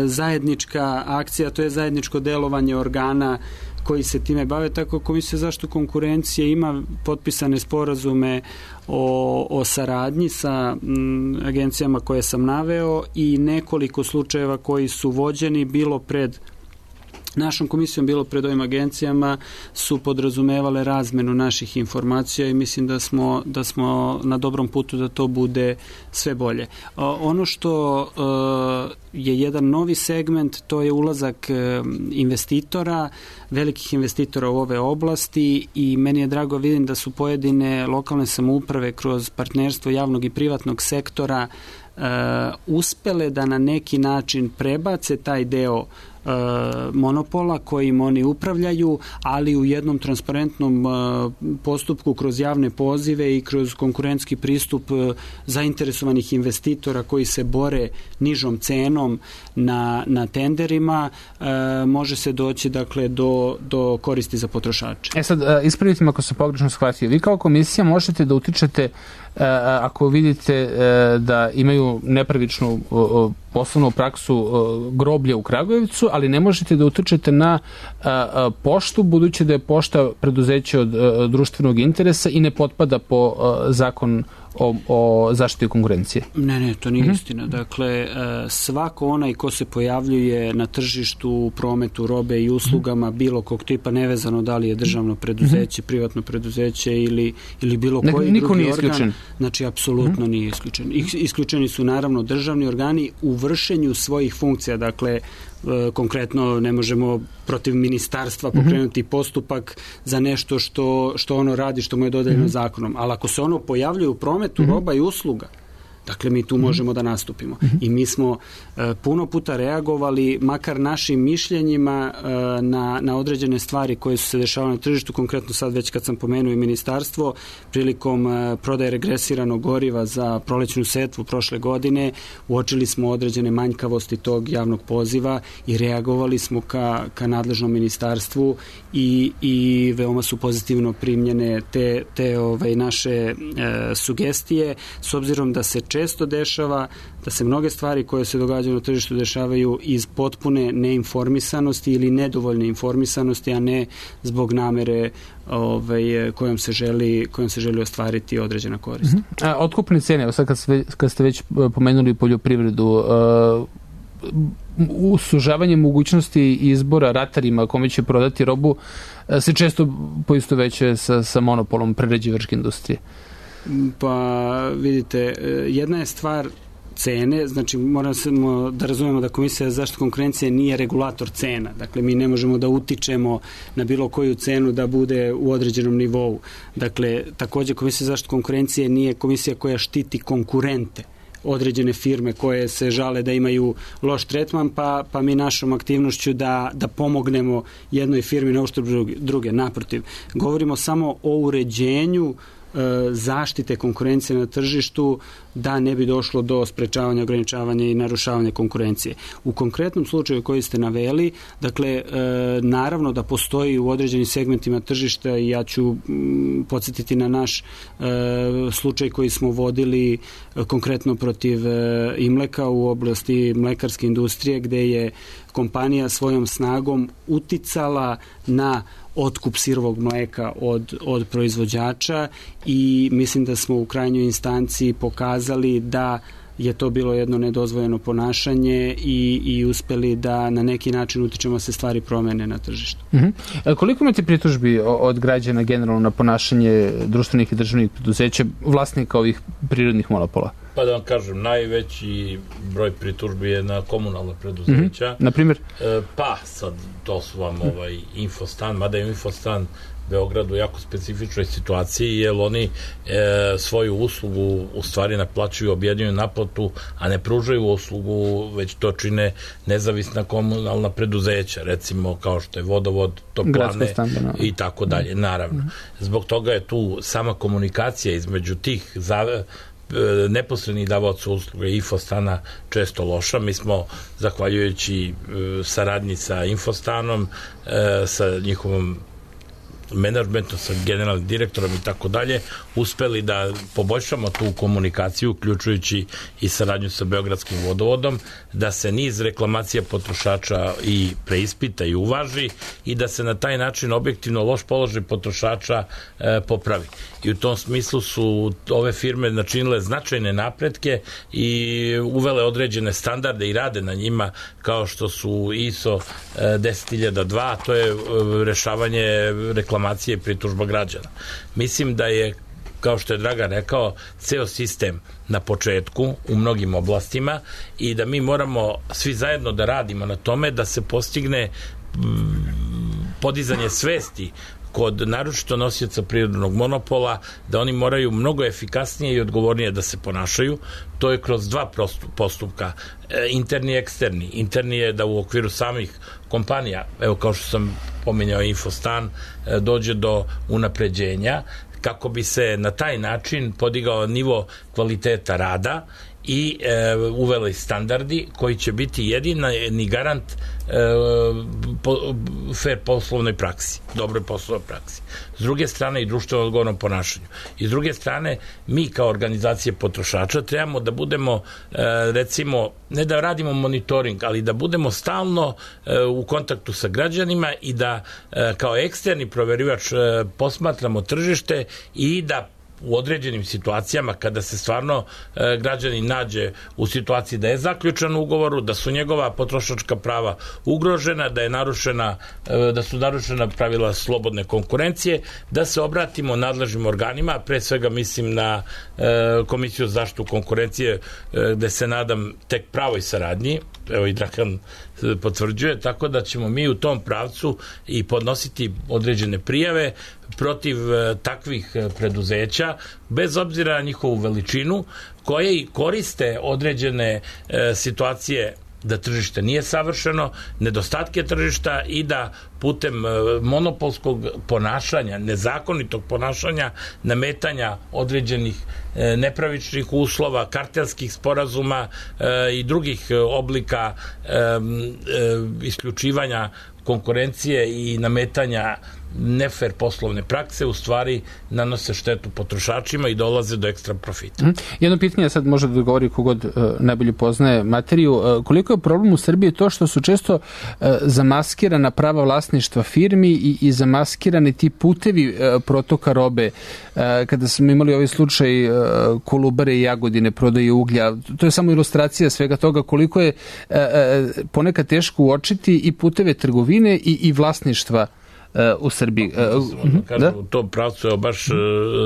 S2: zajednička akcija, to je zajedničko delovanje organa koji se time bave, tako Komisija za zaštitu konkurencije ima potpisane sporazume o saradnji sa agencijama koje sam naveo i nekoliko slučajeva koji su vođeni bilo pred našom komisijom, bilo pred ovim agencijama, su podrazumevale razmenu naših informacija i mislim da smo na dobrom putu da to bude sve bolje. Ono što je jedan novi segment, to je ulazak investitora, velikih investitora u ove oblasti i meni je drago vidim da su pojedine lokalne samouprave kroz partnerstvo javnog i privatnog sektora uspele da na neki način prebace taj deo monopola kojim oni upravljaju, ali u jednom transparentnom postupku kroz javne pozive i kroz konkurentski pristup zainteresovanih investitora koji se bore nižom cenom na tenderima, može se doći dakle do koristi za potrošače.
S1: Sad, ispravite me ako sam pogrešno shvatio. Vi kao komisija možete da utičete ako vidite da imaju nepravičnu poslovnu praksu groblja u Kragujevcu, ali ne možete da utičete na poštu, budući da je pošta preduzeće od društvenog interesa i ne potpada po zakon o zaštiti konkurencije.
S2: Ne, to nije istina. Dakle, svako onaj ko se pojavljuje na tržištu, u prometu robe i uslugama bilo kog tipa, nevezano da li je državno preduzeće, privatno preduzeće ili bilo koji drugi organ, znači apsolutno nije isključen. Isključeni su naravno državni organi u vršenju svojih funkcija, dakle konkretno ne možemo protiv ministarstva pokrenuti postupak za nešto što ono radi, što mu je dodeljeno zakonom, ali ako se ono pojavljuje u prometu roba i usluga, dakle mi tu možemo da nastupimo. I mi smo puno puta reagovali, makar našim mišljenjima na određene stvari koje su se dešavale na tržištu, konkretno sad već kad sam pomenuo i ministarstvo, prilikom prodaje regresiranog goriva za prolećnu setvu prošle godine, uočili smo određene manjkavosti tog javnog poziva i reagovali smo ka nadležnom ministarstvu i veoma su pozitivno primljene te naše sugestije, s obzirom da se često dešava da se mnoge stvari koje se događaju na tržištu dešavaju iz potpune neinformisanosti ili nedovoljne informisanosti, a ne zbog namere kojom se želi ostvariti određena korist.
S1: Otkupne cene, evo sad kad ste već pomenuli poljoprivredu, usužavanje mogućnosti izbora ratarima kome će prodati robu se često poistovećuje sa monopolom prerađivačke industrije.
S2: Pa vidite, jedna je stvar cene, znači moramo da razumemo da Komisija za zaštitu konkurencije nije regulator cena, dakle mi ne možemo da utičemo na bilo koju cenu da bude u određenom nivou. Dakle, takođe Komisija za zaštitu konkurencije nije komisija koja štiti konkurente, određene firme koje se žale da imaju loš tretman, pa mi našom aktivnošću da pomognemo jednoj firmi na uštrb druge. Naprotiv, govorimo samo o uređenju zaštite konkurencije na tržištu da ne bi došlo do sprečavanja, ograničavanja i narušavanja konkurencije. U konkretnom slučaju koji ste naveli, dakle, naravno da postoji u određenim segmentima tržišta i ja ću podsjetiti na naš slučaj koji smo vodili konkretno protiv Imleka u oblasti mlekarske industrije, gde je kompanija svojom snagom uticala na otkup sirovog mleka od proizvođača i mislim da smo u krajnjoj instanciji pokazali da je to bilo jedno nedozvoljeno ponašanje i uspeli da na neki način utičemo da se stvari promene na tržištu.
S1: Koliko imate pritužbi od građana generalno na ponašanje društvenih i državnih preduzeća, vlasnika ovih prirodnih monopola?
S4: Pa da vam kažem, najveći broj pritužbi je na komunalna preduzeća.
S1: Na primjer?
S4: Pa sad, to su vam Infostan, mada je Infostan Beogradu u jako specifičnoj situaciji, jer oni svoju uslugu u stvari naplaćuju, objedinjuju naplatu, a ne pružaju uslugu, već to čine nezavisna komunalna preduzeća, recimo kao što je vodovod, toplane i tako dalje, naravno. Zbog toga je tu sama komunikacija između tih neposrednih davaoca usluge Infostana često loša. Mi smo, zahvaljujući saradnji sa Infostanom, sa njihovom menadžmentom, sa generalnim direktorom i tako dalje, uspeli da poboljšamo tu komunikaciju, uključujući i saradnju sa Beogradskim vodovodom, da se niz reklamacija potrošača i preispita i uvaži i da se na taj način objektivno loš položaj potrošača popravi. I u tom smislu su ove firme načinile značajne napretke i uvele određene standarde i rade na njima, kao što su ISO 10002, to je rešavanje reklamacije i pritužba građana. Mislim da je, kao što je Dragan rekao, ceo sistem na početku u mnogim oblastima i da mi moramo svi zajedno da radimo na tome da se postigne podizanje svesti kod naročito nosioca prirodnog monopola, da oni moraju mnogo efikasnije i odgovornije da se ponašaju. To je kroz dva postupka, interni i eksterni. Interni je da u okviru samih kompanija, evo kao što sam pominjao Infostan, dođe do unapređenja kako bi se na taj način podigao nivo kvaliteta rada i uveli standardi koji će biti jedini garant fair poslovnoj praksi, dobroj poslovnoj praksi. S druge strane i društveno odgovornom ponašanju. I s druge strane, mi kao organizacije potrošača trebamo da budemo, recimo, ne da radimo monitoring, ali da budemo stalno u kontaktu sa građanima i da kao eksterni proverivač posmatramo tržište i da u određenim situacijama kada se stvarno građanin nađe u situaciji da je zaključan u ugovoru, da su njegova potrošačka prava ugrožena, da su narušena pravila slobodne konkurencije, da se obratimo nadležnim organima, pre svega mislim na Komisiju za zaštitu konkurencije, gde se nadam tek pravoj saradnji, evo i Dragan potvrđuje, tako da ćemo mi u tom pravcu i podnositi određene prijave protiv takvih preduzeća, bez obzira na njihovu veličinu, koje i koriste određene situacije da tržište nije savršeno, nedostatke tržišta i da putem monopolskog ponašanja, nezakonitog ponašanja, nametanja određenih nepravičnih uslova, kartelskih sporazuma i drugih oblika isključivanja konkurencije i nametanja nefer poslovne prakse u stvari nanose štetu potrošačima i dolaze do ekstra profita.
S1: Jedno pitanje sad može da govori kogod najbolje poznaje materiju. Koliko je problem u Srbiji to što su često zamaskirana prava vlasništva firmi i zamaskirani ti putevi protoka robe? Kada smo imali ovaj slučaj Kolubare i Jagodine, prodaje uglja, to je samo ilustracija svega toga koliko je ponekad teško uočiti i puteve trgovine i vlasništva u Srbiji.
S4: U tom pravcu baš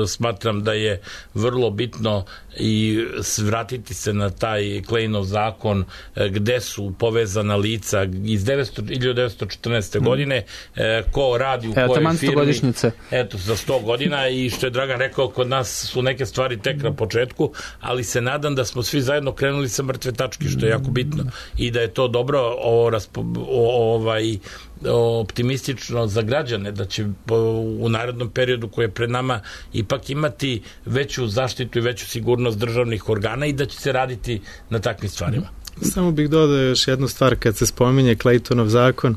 S4: smatram da je vrlo bitno i vratiti se na taj Klejnov zakon gde su povezana lica iz 1914. godine, ko radi u kojoj firmi. Eto, za 100 godina i što je Dragan rekao, kod nas su neke stvari tek na početku, ali se nadam da smo svi zajedno krenuli sa mrtve tačke, što je jako bitno i da je to dobro optimistično za građane, da će u narednom periodu koji je pred nama ipak imati veću zaštitu i veću sigurnost državnih organa i da će se raditi na takvim stvarima.
S3: Samo bih dodao još jednu stvar kad se spominje Claytonov zakon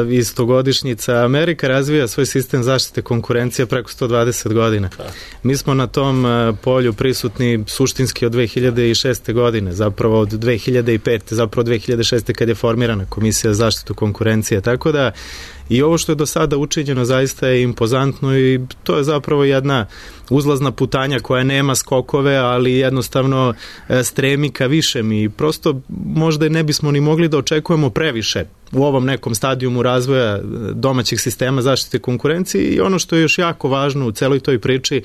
S3: iz stogodišnjica. Amerika razvija svoj sistem zaštite konkurencije preko 120 godina. Mi smo na tom polju prisutni suštinski od 2006. godine, zapravo od 2005. zapravo 2006. kad je formirana Komisija za zaštitu konkurencije. Tako da i ovo što je do sada učinjeno zaista je impozantno i to je zapravo jedna uzlazna putanja koja nema skokove, ali jednostavno stremi ka višem i prosto možda ne bismo ni mogli da očekujemo previše u ovom nekom stadijumu razvoja domaćih sistema zaštite konkurencije i ono što je još jako važno u celoj toj priči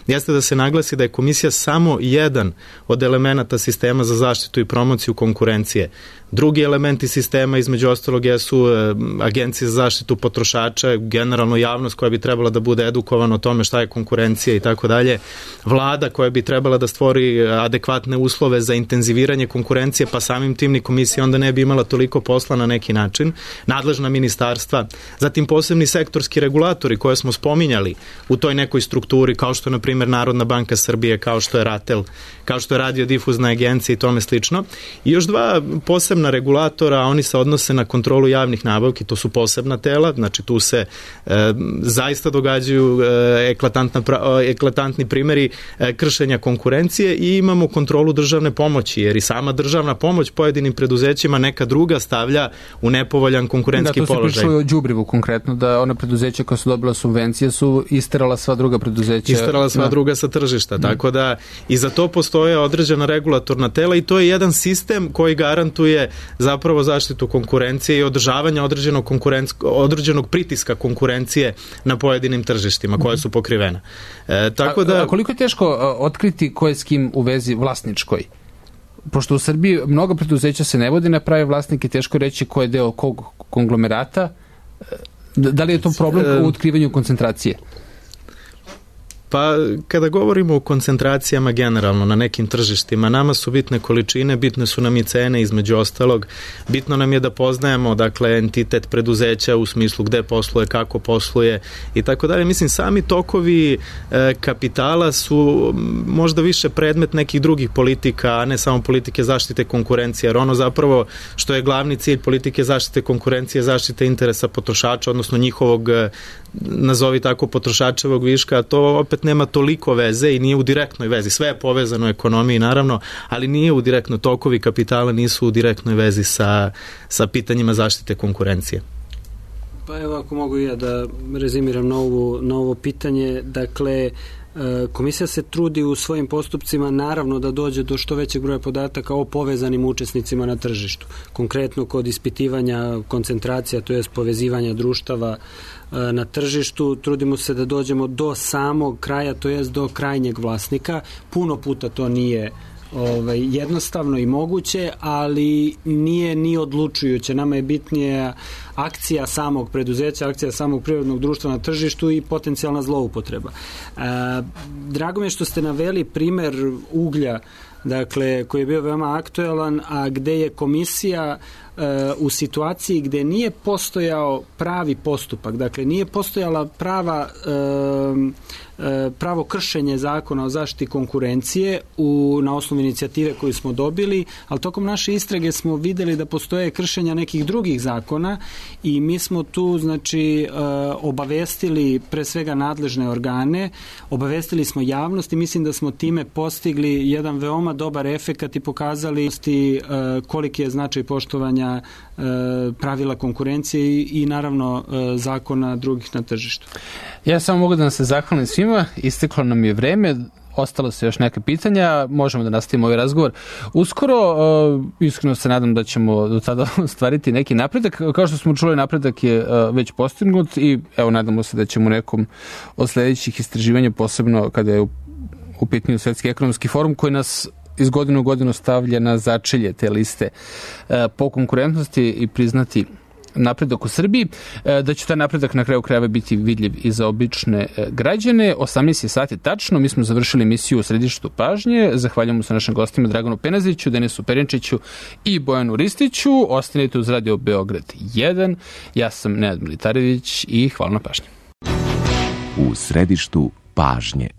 S3: jeste da se naglasi da je komisija samo jedan od elemenata sistema za zaštitu i promociju konkurencije. Drugi elementi sistema između ostalog jesu agencije za zaštitu potrošača, generalno javnost koja bi trebala da bude edukovana o tome šta je konkurencija i tako dalje, vlada koja bi trebala da stvori adekvatne uslove za intenziviranje konkurencije, pa samim tim ni komisija onda ne bi imala toliko posla na neki način, nadležna ministarstva, zatim posebni sektorski regulatori koje smo spominjali u toj nekoj strukturi, kao što je na primjer Narodna banka Srbije, kao što je RATEL, kao što je radiodifuzna agencija i tome slično. I još dva posebna regulatora, a oni se odnose na kontrolu javnih nabavki, to su posebna tela, znači tu se zaista događaju eklatantni primjeri kršenja konkurencije i imamo kontrolu državne pomoći, jer i sama državna pomoć pojedinim preduzećima neka druga stavlja u nepovoljan konkurentski položaj.
S1: Da, to se pričalo o đubrivu konkretno, da ona preduzeća koja su dobila subvencije su isterala sva druga preduzeća.
S3: Isterala sva druga sa tržišta, tako da i za to postoje određena regulatorna tela i to je jedan sistem koji garantuje zapravo zaštitu konkurencije i održavanje određenog pritiska konkurencije na pojedinim tržištima koja su pokrivena. Tako da...
S1: A koliko je teško otkriti ko je s kim u vezi vlasničkoj? Pošto u Srbiji mnogo preduzeća se ne vodi na prave vlasnike, teško reći ko je deo kog konglomerata. Da li je to problem u otkrivanju koncentracije?
S3: Pa kada govorimo o koncentracijama generalno na nekim tržištima, nama su bitne količine, bitne su nam i cene između ostalog, bitno nam je da poznajemo dakle entitet preduzeća u smislu gde posluje, kako posluje i tako dalje. Mislim, sami tokovi kapitala su možda više predmet nekih drugih politika, a ne samo politike zaštite konkurencije, jer ono zapravo što je glavni cilj politike zaštite konkurencije, zaštite interesa potrošača, odnosno njihovog, nazovi tako, potrošačevog viška, a to opet nema toliko veze i nije u direktnoj vezi. Sve je povezano u ekonomiji, naravno, ali nije u direktno, tokovi kapitala nisu u direktnoj vezi sa pitanjima zaštite konkurencije.
S2: Pa evo, ako mogu ja da rezimiram na ovo pitanje, dakle, komisija se trudi u svojim postupcima naravno da dođe do što većeg broja podataka o povezanim učesnicima na tržištu. Konkretno kod ispitivanja koncentracija, to jest povezivanja društava na tržištu, trudimo se da dođemo do samog kraja, to jest do krajnjeg vlasnika. Puno puta to nije jednostavno i moguće, ali nije ni odlučujuće. Nama je bitnije akcija samog preduzeća, akcija samog privrednog društva na tržištu i potencijalna zloupotreba. Drago mi je što ste naveli primer uglja dakle, koji je bio veoma aktuelan, a gde je komisija u situaciji gde nije postojao pravi postupak, dakle nije postojala pravo kršenje zakona o zaštiti konkurencije na osnovu inicijative koju smo dobili, ali tokom naše istrage smo videli da postoje kršenja nekih drugih zakona i mi smo tu obavestili pre svega nadležne organe, obavestili smo javnost i mislim da smo time postigli jedan veoma dobar efekat i pokazali koliki je značaj poštovanja pravila konkurencije i naravno zakona drugih na tržištu.
S1: Ja samo mogu da nam se zahvalim svima, isteklo nam je vreme, ostalo se još neke pitanja, možemo da nastavimo ovaj razgovor. Uskoro, iskreno se nadam da ćemo do tada ostvariti neki napredak. Kao što smo čuli, napredak je već postignut i evo, nadamo se da ćemo nekom od sledećih istraživanja, posebno kada je u pitanju Svetski ekonomski forum, koji nas iz godine u godinu stavlja na začelje te liste po konkurentnosti i priznati napredak u Srbiji, da će taj napredak na kraju krajeva biti vidljiv i za obične građane. 18 sati tačno, mi smo završili emisiju u središtu pažnje. Zahvaljujemo se našim gostima Draganu Penaziću, Denisu Perinčiću i Bojanu Ristiću. Ostanite uz Radio Beograd 1. Ja sam Nenad Militarević i hvala na pažnji.
S12: U središtu pažnje.